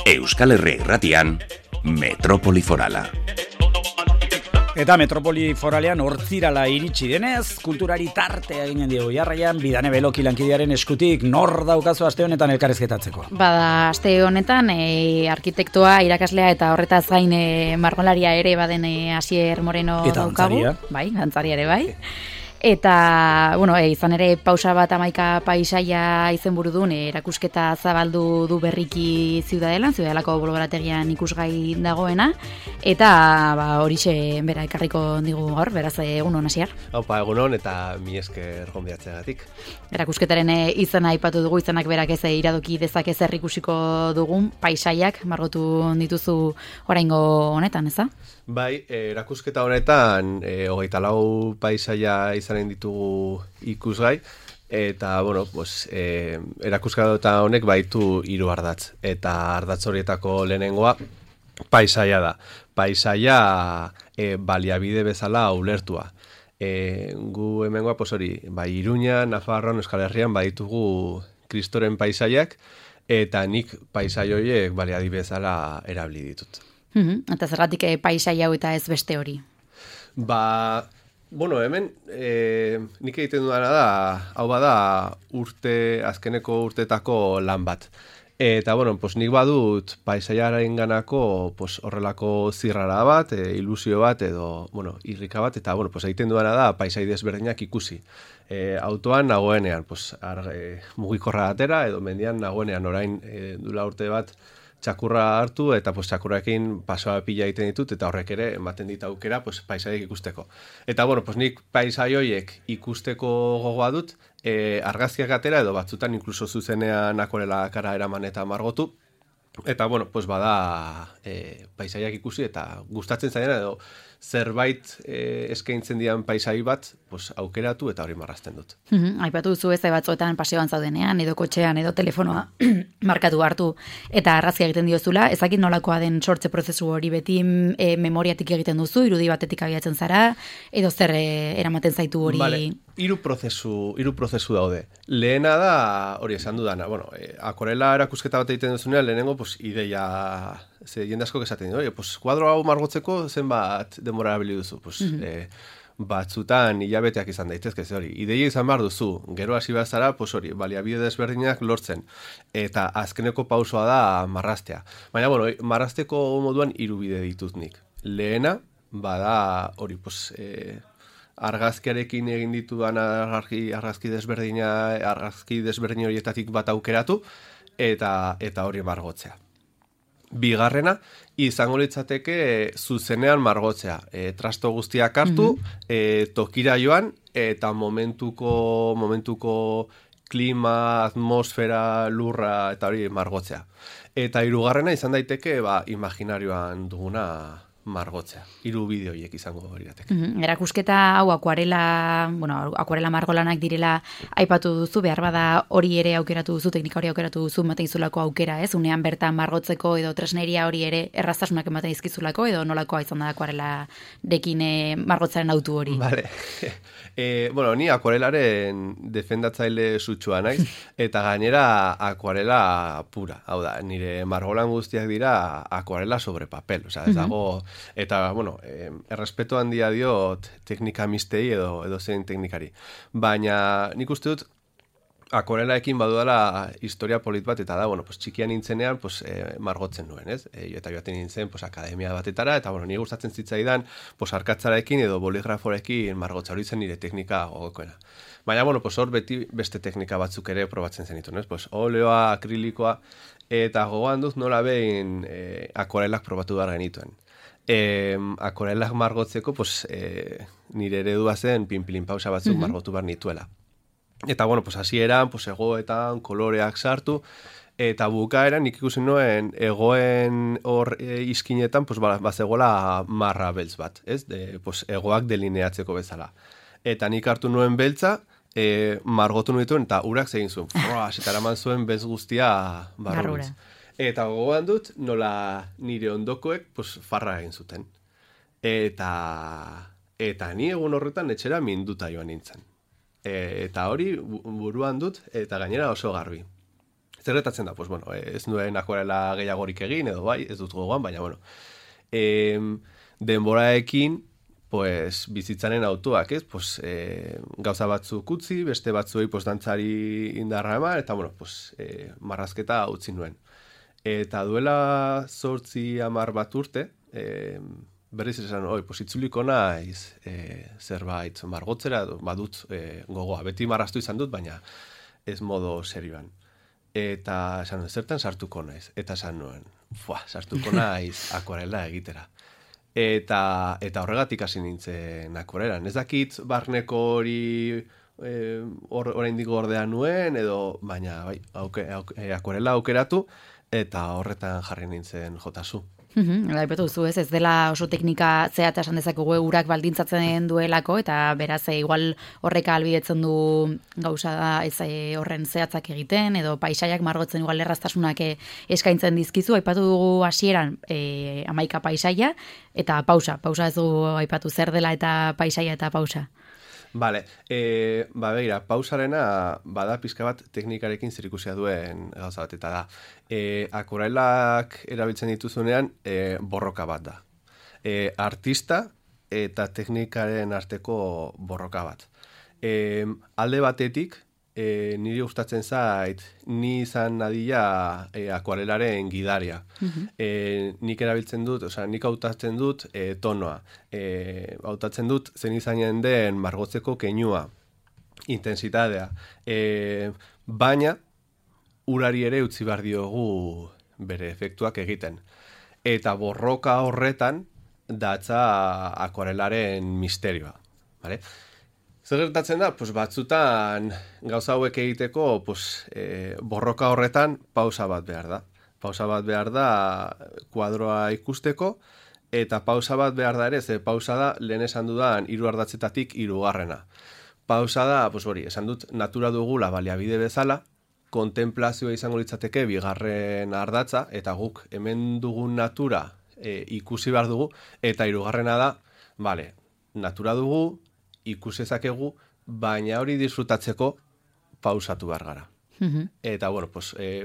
Euskal Herria Irratian, Metropoli Forala. Eta Metropoli Foralean hortzirala iritsi denez, kulturari tartea eginen diogu jarraian, Bidane Beloki lankidearen eskutik nor daukazu aste honetan elkarrizketatzeko? Bada, aste honetan arkitektoa, irakaslea eta horretaz gain margolaria ere baden Asier Moreno eta daukagu. dantzaria. Bai, dantzaria ere bai. Eta, bueno, izan ere pausa bat amaika paisaia izenburu duen erakusketa zabaldu du berriki Ziudadelako bolbarategian ikusgai dagoena, eta horixe bera ekarriko digu gaur, beraz egunon Asier. Opa, egunon eta mi esker gonbidatzeagatik. Erakusketaren izena aipatu dugu, izanak berak ez iradoki dezake zer ikusiko dugun paisaiak margotu dituzu oraingo honetan, eza? Bai, erakusketa honetan 24 paisaia izanen ditugu ikusgai, eta, bueno, pues, erakusketa honek baitu 3 ardatz, eta ardatz horietako lehenengoa paisaia da. Paisaia baliabide bezala ulertua. Gu hemengoa, pues hori, bai Iruña, Nafarroan, Euskal Herrian baditugu kristoren paisaiak, eta nik paisai horiek baliabide bezala erabili ditut. Eta zergatik paisaia hau eta ez beste hori? Bueno, hemen nik egiten dudana da, hau bada azkeneko urtetako lan bat. Eta, bueno, pues nik badut paisaiaren ganako pues, horrelako zirrara bat, ilusio bat edo, bueno, irrika bat, eta, bueno, pues egiten dudana da paisai desberdinak ikusi. Autoan nagoenean, pues, mugikorra atera edo mendian nagoenean orain dula urte bat txakurra hartu eta pues txakurrarekin pasoa pila egiten ditut eta horrek ere ematen dit aukera pues paisaiak ikusteko. Eta bueno, pues nik paisai horiek ikusteko gogoa dut, argazkiak atera edo batzutan inkluso zuzenean akorela kara eraman eta margotu. Eta bueno, pues bada paisaiak ikusi eta gustatzen zaien edo zerbait eskaintzen dian paisai bat, pues aukeratu eta hori marrazten dut. Aipatu duzu ez batzuetan paseoan zaudenean, edo kotxean, edo telefonoa markatu hartu eta argazkia egiten diozula, ezakit nolakoa den sortze prozesu hori beti memoriatik egiten duzu, irudi batetik abiatzen zara, edo zer eramaten zaitu hori? Vale. Hiru prozesu daude. Lehena da, hori esan dudana, bueno, akorela erakusketa bat egiten duzunean, lehenengo, pues, ideia, jende asko esaten dut, pues, kuadro hau margotzeko zenbat denbora erabili duzu, pues, batzutan hilabeteak izan daitezke, hori, ideia izan behar duzu, gero hasi behar zara, pues, hori, baliabide desberdinak lortzen, eta azkeneko pausoa da marraztea. Baina, bueno, marrazteko moduan 3 bide ditut nik. Lehena, bada, hori, pues, argazkiarekin egin ditudan argazki desberdin horietatik bat aukeratu eta hori margotzea. Bigarrena, izango litzateke zuzenean margotzea. Trasto guztiak hartu, tokira joan eta momentuko klima, atmosfera, lurra eta hori margotzea. Eta 3. izan daiteke imaginarioan duguna margotzea. 3 bide horiek izango lirateke. Erakusketa hau akuarela margolanak direla aipatu duzu, behar bada hori ere aukeratu duzu, teknika hori aukeratu duzu, ematen izulako aukera, ez? Unean bertan margotzeko edo tresneria hori ere erraztasunak ematen izkizulako, edo nolakoa izan da akuarelarekin margotzaren autu hori? Vale. Bueno, ni akuarelaren defendatzaile sutsua naiz, eta gainera akuarela pura. Hau da, nire margolan guztiak dira akuarela sobre papel. Osea, ez dago. Eta, bueno, errespeto handia diot teknika mistei edo zein teknikari. Baina nik uste dut akorelaekin badudala historia polit bat, eta da, bueno, pues, txikian nintzenean pues, margotzen nuen, ez? Eta joaten nintzen pues, akademia batetara, eta bueno, nire gustatzen zitzaidan pues, arkatzarekin edo boligraforekin margotza hori zen nire teknika gogokoena. Baina, bueno, pues, hor beti beste teknika batzuk ere probatzen zenituen, ez? Pues, oleoa, akrilikoa, eta gogoan dut nola behin akorelak probatu behar genituen. Akorelak margotzeko, pues, nire eredua zen pinpilin pausa batzuk margotu behar nituela. Eta, bueno, pues, hasieran, pues, egoetan, koloreak sartu, eta bukaeran nik ikusten nuen egoen hor izkinetan, pues, bazegola marra beltz bat, ez? Pues, egoak delineatzeko bezala. Eta nik hartu nuen beltza, margotu nuen, eta urak zegin zuen. Eta eraman zuen bez guztia barrura. Eta gogoan dut, nola nire ondokoek pues, farra egin zuten. Eta ni egun horretan etxera minduta joan nintzen. Eta hori buruan dut, eta gainera oso garbi. Zer gertatzen da? Pues bueno, ez nuen akuarela gehiagorik egin, edo bai, ez dut gogoan, baina bueno. Denboraekin, pues, bizitzaren autuak, ez? Pues, gauza batzuk utzi, beste batzuei pues, dantzari indarra eman, eta bueno, pues, marrazketa utzi nuen. Eta duela 8-10 bat urte, berriz esan, pues, itzuliko naiz zerbait margotzera, badut gogoa. Beti marraztu izan dut, baina ez modo serioan. Eta esan nuen, zertan sartuko naiz? Eta esan nuen, sartuko naiz akuarela egitera. Eta horregatik hasi nintzen akuarelan. Ez dakit barneko hori oraindik ordea nuen, edo baina bai, akuarela aukeratu, eta horretan jarri nintzen jotazu. Aipatu duzu, ez dela oso teknika zehatza esan dezakegu urak baldintzatzen duelako, eta beraz igual horrek ahalbidetzen du gauza da ez horren zehatzak egiten, edo paisaiak margotzen igual erraztasunak eskaintzen dizkizu. Aipatu dugu hasieran 11 paisaia, eta pausa ez dugu aipatu zer dela eta paisaia eta pausa. Vale, begira, pausarena bada pizka bat teknikarekin zerikusia duen gauza bat, eta da, akuarelak erabiltzen dituzunean borroka bat da. Artista eta teknikaren arteko borroka bat. Alde batetik, niri gustatzen zait, ni izan nadila akuarelaren gidaria. Nik erabiltzen dut, nik hautatzen dut tonoa. Hautatzen dut zen izanen den margotzeko keinua, intensitatea. Baina, urari ere utzi behar diogu bere efektuak egiten. Eta borroka horretan datza akuarelaren misterioa. Vale? Zer gertatzen da? Pues batzutan gauza hauek egiteko borroka horretan pausa bat behar da. Pausa bat behar da kuadroa ikusteko, eta pausa bat behar da ere, ze pausa da lehen esan dudan 3 ardatzetatik 3. Pausa da, esan dut, natura dugula baliabide bezala, kontemplazioa izango litzateke 2. ardatza, eta guk hemen dugun natura ikusi behar dugu, eta 3. da, natura dugu, ikusezakegu, baina hori disfrutatzeko pausatu behar gara. Eta,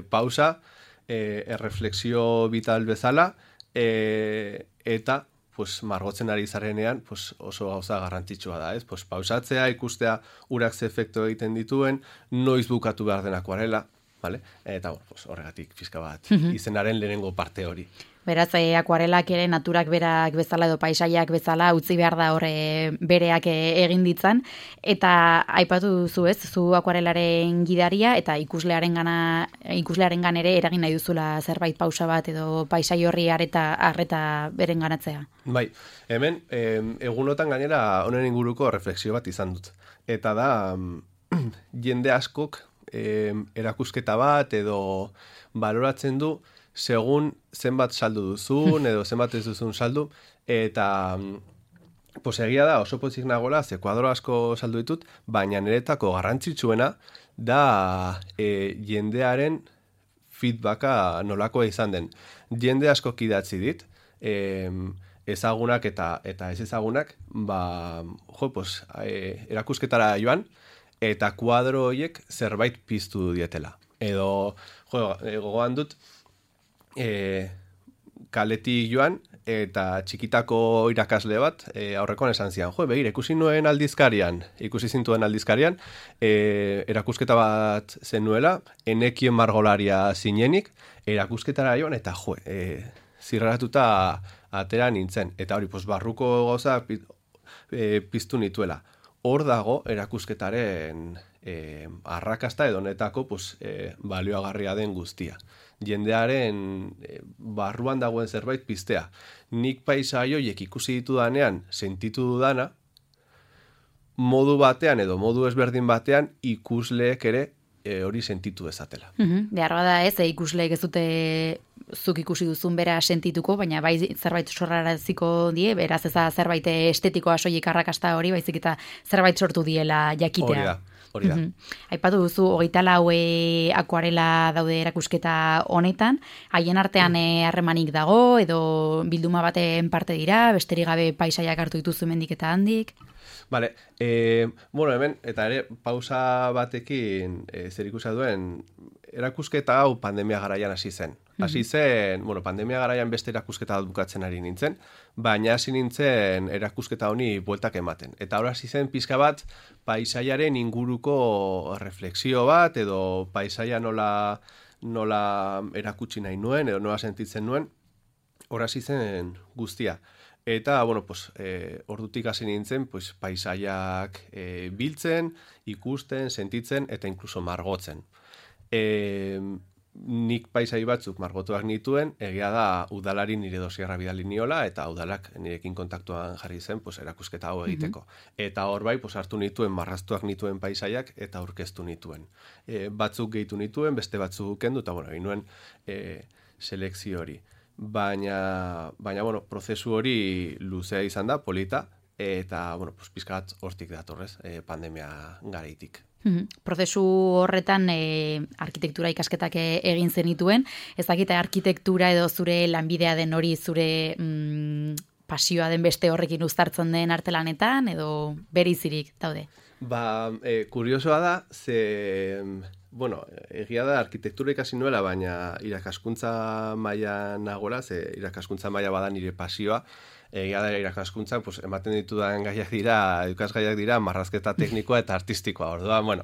pausa, erreflexio vital bezala, eta margotzen ari zarenean oso gauza garrantzitsua da, ez? Pausatzea, ikustea urak ze efektu egiten dituen, noiz bukatu behar den akuarela, vale? Eta, horregatik pizka bat, izenaren lehenengo parte hori. Beraz, akuarelak ere naturak berak bezala edo paisaiak bezala utzi behar da horre bereak egin ditzan. Eta aipatu duzu ez, zu akuarelaren gidaria eta ikuslearen gan ere eragin nahi duzula zerbait pausa bat edo paisai horri arreta beren ganatzea. Bai, hemen egunotan gainera honen inguruko refleksio bat izan dut. Eta da, jende askok erakusketa bat edo baloratzen du segun zenbat saldu duzun, edo zenbat ez duzun saldu, eta egia da, oso pozik nagola, ze kuadro asko saldu ditut, baina niretako garrantzitsuena da jendearen feedbacka nolakoa izan den. Jende asko idatzi dit, ezagunak eta ez ezagunak, erakusketara joan, eta kuadro horiek zerbait piztu dietela. Edo, gogoan dut, kaletik joan, eta txikitako irakasle bat, aurrekoan esan zian, begira, ikusi zintuen aldizkarian, erakusketa bat zenuela, enekien margolaria zinenik, erakusketara joan, eta zirraratuta atera nintzen. Eta hori, barruko gauza piztu nituela. Hor dago erakusketaren arrakasta edo netako balioagarria den guztia. Jendearen barruan dagoen zerbait piztea. Nik paisai horiek ikusi ditudanean, sentitu dudana, modu batean edo modu ezberdin batean ikusleek ere hori sentitu dezatela. Behar bada ez, ikusleek ez dute zuk ikusi duzun bera sentituko, baina bai zerbait sorraraziko die, beraz ez da zerbait estetikoa soilik arrakasta hori, baizik eta zerbait sortu diela jakitea. Hori da. Aipatu duzu, 24 akuarela daude erakusketa honetan, haien artean harremanik dago, edo bilduma baten parte dira, besterik gabe paisaiak hartu dituzu hemendik eta handik? Vale, hemen, eta ere, pausa batekin zerikusia duen erakusketa hau pandemia garaian hasi zen. Hasi zen, bueno, pandemia garaian beste erakusketa bat bukatzen ari nintzen, baina hasi nintzen erakusketa honi bueltak ematen. Eta hor hasi zen pixka bat paisaiaren inguruko refleksio bat, edo paisaia nola erakutsi nahi nuen, edo nola sentitzen nuen, hor hasi zen guztia. Eta, bueno, pues, ordutik hasi nintzen, pues, paisaiak biltzen, ikusten, sentitzen, eta inkluso margotzen. Nik paisai batzuk margotuak nituen, egia da udalari nire dosierra bidali niola, eta udalak nirekin kontaktuan jarri zen, pues, erakusketa hau egiteko. Eta hor bai, pues, hartu nituen, marraztuak nituen paisaiak, eta aurkeztu nituen. Batzuk gehitu nituen, beste batzuk kendu, eta, bueno, inuen selekzio hori. Baina, bueno, prozesu hori luzea izan da, polita, eta, bueno, pues, pizkat hortik datorrez, pandemia garaitik. Prozesu horretan arkitektura ikasketak egin zenituen, ez dakit arkitektura edo zure lanbidea den hori zure pasioa den beste horrekin uztartzen den artelanetan, edo berizirik daude? Kuriosoa da, bueno, egia da arkitektura ikasi nuela, baina irakaskuntza maila nagora, irakaskuntza maila bada nire pasioa, egia da irakaskuntzan, pues, ematen ditudan ikasgaiak dira, marrazketa teknikoa eta artistikoa, orduan, bueno,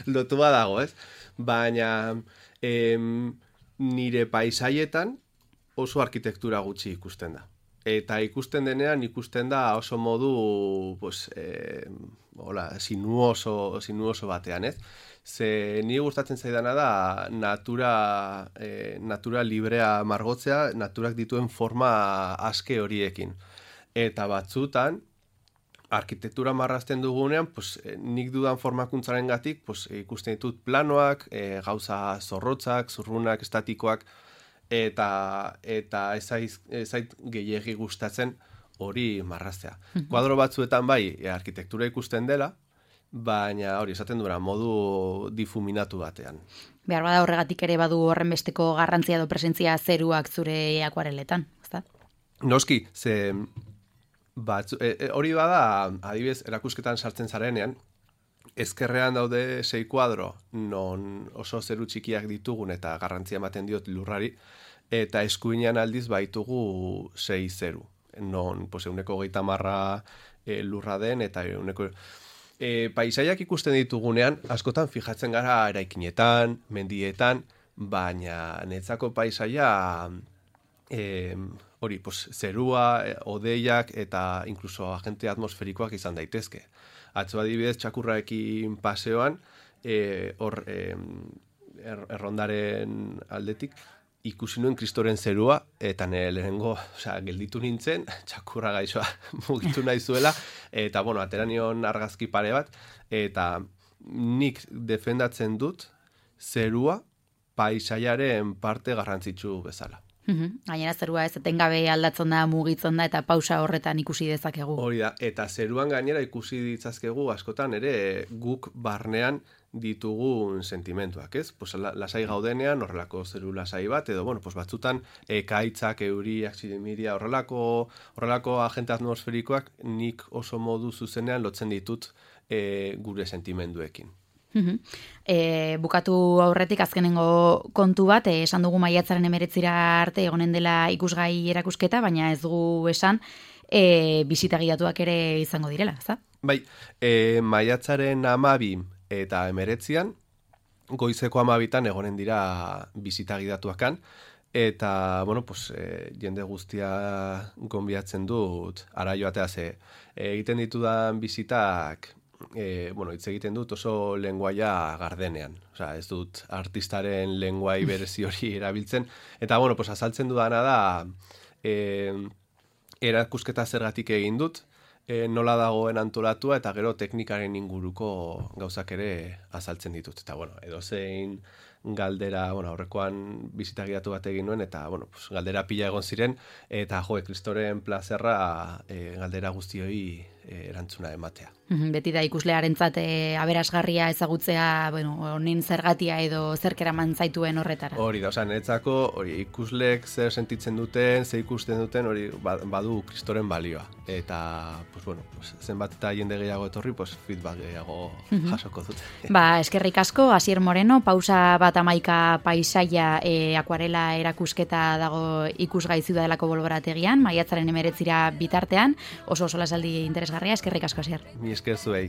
lotua dago, ez? Baina nire paisaietan oso arkitektura gutxi ikusten da. Eta ikusten denean, ikusten da oso modu, pues, sinuoso batean, ez? Ze ni gustatzen zaidana da natura librea margotzea, naturak dituen forma aske horiekin. Eta batzutan, arkitektura marrazten dugunean, pues, nik dudan formakuntzarengatik, pues, ikusten ditut planoak, gauza zorrotzak, zurrunak, estatikoak, eta ez zait gehiegi gustatzen hori marraztea. Kuadro batzuetan bai, arkitektura ikusten dela, baina hori esaten duena modu difuminatu batean. Behar bada horregatik ere badu horren besteko garrantzia edo presentzia zeruak zure akuareletan, ezta? Noski, ze hori bada, adibidez, erakusketan sartzen zarenean, ezkerrean daude 6 kuadro, non oso zeru txikiak ditugun eta garrantzia ematen diot lurrari, eta eskuinean aldiz baitugu 6 zeru. Non, pues, 130 lurra den, eta paisaiak ikusten ditugunean, askotan fijatzen gara eraikinetan, mendietan, baina netzako paisaia hori, pues, zerua, odeiak eta inkluso agente atmosferikoak izan daitezke. Atzo adibidez, txakurraekin paseoan, errondaren aldetik, ikusi nuen Kristoren zerua, eta nire lehenengo, gelditu nintzen, txakurra gaixoa mugitu nahi zuela, eta, bueno, atera nion argazki pare bat, eta nik defendatzen dut zerua paisaiaren parte garrantzitsu bezala. Gainera zerua ez etengabe aldatzen da, mugitzen da, eta pausa horretan ikusi dezakegu. Hori da, eta zeruan gainera ikusi ditzazkegu askotan ere guk barnean ditugun sentimentuak, ez? Pues, lasai gaudenean, horrelako zeru lasai bat, edo, bueno, pues, batzutan ekaitzak, euriak, zidimiria, horrelako agente atmosferikoak nik oso modu zuzenean lotzen ditut gure sentimenduekin. Bukatu aurretik azkenengo kontu bat, esan dugu maiatzaren 19 arte egonen dela ikusgai erakusketa, baina ez dugu esan bisitagiatuak ere izango direla, ezta? Bai, maiatzaren 12 eta 19 goizeko 12 egonen dira bisitagidatuakan, eta, bueno, pues, jende guztia gonbiatzen dut ara joatea ze. Egiten ditudan bisitak, bueno, hitz egiten dut oso lenguaia gardenean. Osea, ez dut artistaren lenguai berezi hori erabiltzen. Eta, bueno, pues, azaltzen dudana da erakusketa zergatik egin dut, nola dagoen antolatua, eta gero teknikaren inguruko gauzak ere azaltzen ditut. Eta, bueno, edozein galdera, bueno, aurrekoan bisitagidatu bat egin nuen, eta, bueno, pues, galdera pila egon ziren, eta, Kristoren plazerra galdera guztioi erantzuna ematea. Beti da ikuslearentzat aberasgarria ezagutzea, bueno, honen zergatia edo zerk eraman zaituen horretara. Hori da, osea, netzako ikusleek zer sentitzen duten, zer ikusten duten, hori badu Kristoren balioa. Eta, pues, bueno, pues, zenbat eta jende gehiago etorri, pues, feedback gehiago jasoko dute. Eskerrik asko, Asier Moreno, pausa bat 111 paisaia akuarela erakusketa dago ikusgai Ziudadelako bolborategian, maiatzaren 19 bitartean, oso lasaldi interesgarria, eskerrik asko, Asier. Mi esker zuei.